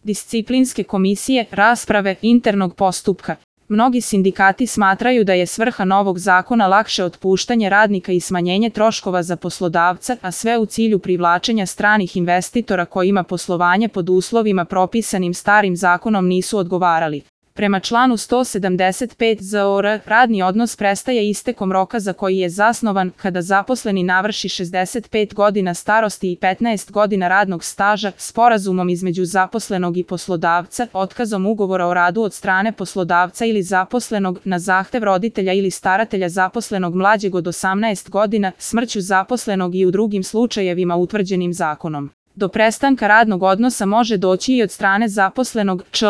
disciplinske komisije, rasprave, internog postupka. Mnogi sindikati smatraju da je svrha novog zakona lakše otpuštanje radnika i smanjenje troškova za poslodavca, a sve u cilju privlačenja stranih investitora kojima poslovanje pod uslovima propisanim starim zakonom nisu odgovarali. Prema članu 175 ZOR, radni odnos prestaje istekom roka za koji je zasnovan kada zaposleni navrši 65 godina starosti i 15 godina radnog staža, sporazumom između zaposlenog i poslodavca, otkazom ugovora o radu od strane poslodavca ili zaposlenog, na zahtev roditelja ili staratelja zaposlenog mlađeg od 18 godina, smrću zaposlenog i u drugim slučajevima utvrđenim zakonom. Do prestanka radnog odnosa može doći i od strane zaposlenog, čl.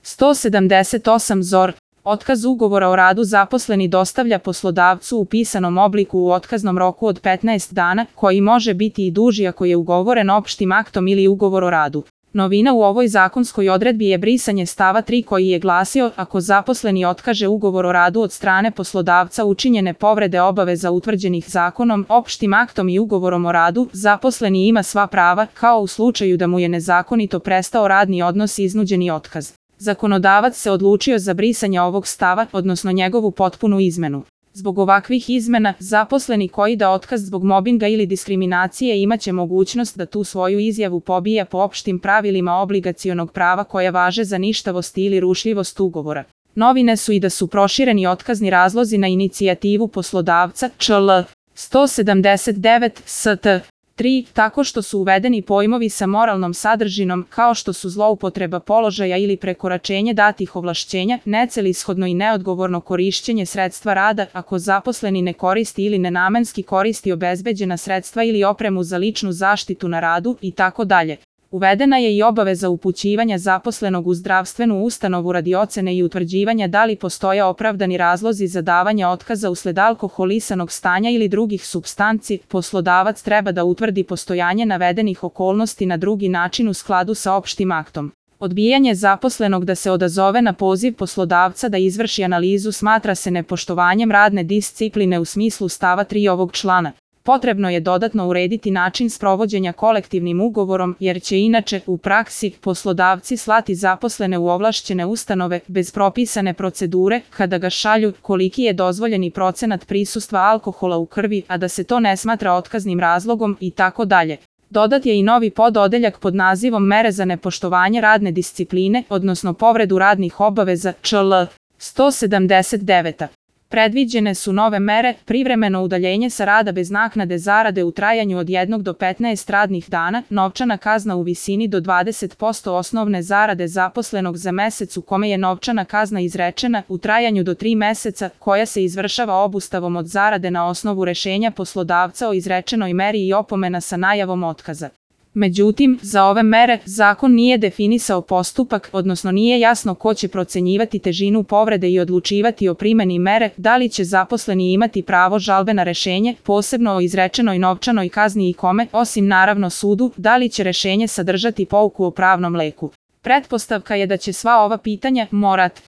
178 ZOR. Otkaz ugovora o radu zaposleni dostavlja poslodavcu u pisanom obliku u otkaznom roku od 15 dana, koji može biti i duži ako je ugovoren opštim aktom ili ugovor o radu. Novina u ovoj zakonskoj odredbi je brisanje stava 3 koji je glasio: ako zaposleni otkaže ugovor o radu od strane poslodavca učinjene povrede obaveza utvrđenih zakonom, opštim aktom i ugovorom o radu, zaposleni ima sva prava, kao u slučaju da mu je nezakonito prestao radni odnos i iznuđeni otkaz. Zakonodavac se odlučio za brisanje ovog stava, odnosno njegovu potpunu izmenu. Zbog ovakvih izmena, zaposleni koji da otkaz zbog mobinga ili diskriminacije imaće mogućnost da tu svoju izjavu pobija po opštim pravilima obligacionog prava koja važe za ništavost ili rušljivost ugovora. Novine su i da su prošireni otkazni razlozi na inicijativu poslodavca, čl. 179 st. 3, tako što su uvedeni pojmovi sa moralnom sadržinom, kao što su zloupotreba položaja ili prekoračenje datih ovlašćenja, necelishodno i neodgovorno korišćenje sredstva rada, ako zaposleni ne koristi ili nenamenski koristi obezbeđena sredstva ili opremu za ličnu zaštitu na radu, itd. Uvedena je i obaveza upućivanja zaposlenog u zdravstvenu ustanovu radi ocene i utvrđivanja da li postoje opravdani razlozi za davanje otkaza usled alkoholisanog stanja ili drugih supstanci. Poslodavac treba da utvrdi postojanje navedenih okolnosti na drugi način u skladu sa opštim aktom. Odbijanje zaposlenog da se odazove na poziv poslodavca da izvrši analizu smatra se nepoštovanjem radne discipline u smislu stava 3 ovog člana. Potrebno je dodatno urediti način sprovođenja kolektivnim ugovorom, jer će inače, u praksi, poslodavci slati zaposlene u ovlašćene ustanove bez propisane procedure, kada ga šalju, koliki je dozvoljeni procenat prisustva alkohola u krvi, a da se to ne smatra otkaznim razlogom, itd. Dodat je i novi pododeljak pod nazivom mere za nepoštovanje radne discipline, odnosno povredu radnih obaveza, čl. 179. Predviđene su nove mere: privremeno udaljenje sa rada bez naknade zarade u trajanju od 1 do 15 radnih dana, novčana kazna u visini do 20% osnovne zarade zaposlenog za mesec u kome je novčana kazna izrečena, u trajanju do 3 meseca, koja se izvršava obustavom od zarade na osnovu rešenja poslodavca o izrečenoj meri i opomena sa najavom otkaza. Međutim, za ove mere, zakon nije definisao postupak, odnosno nije jasno ko će procenjivati težinu povrede i odlučivati o primeni mere, da li će zaposleni imati pravo žalbe na rešenje, posebno o izrečenoj novčanoj kazni i kome, osim naravno sudu, da li će rešenje sadržati pouku o pravnom leku. Pretpostavka je da će sva ova pitanja morati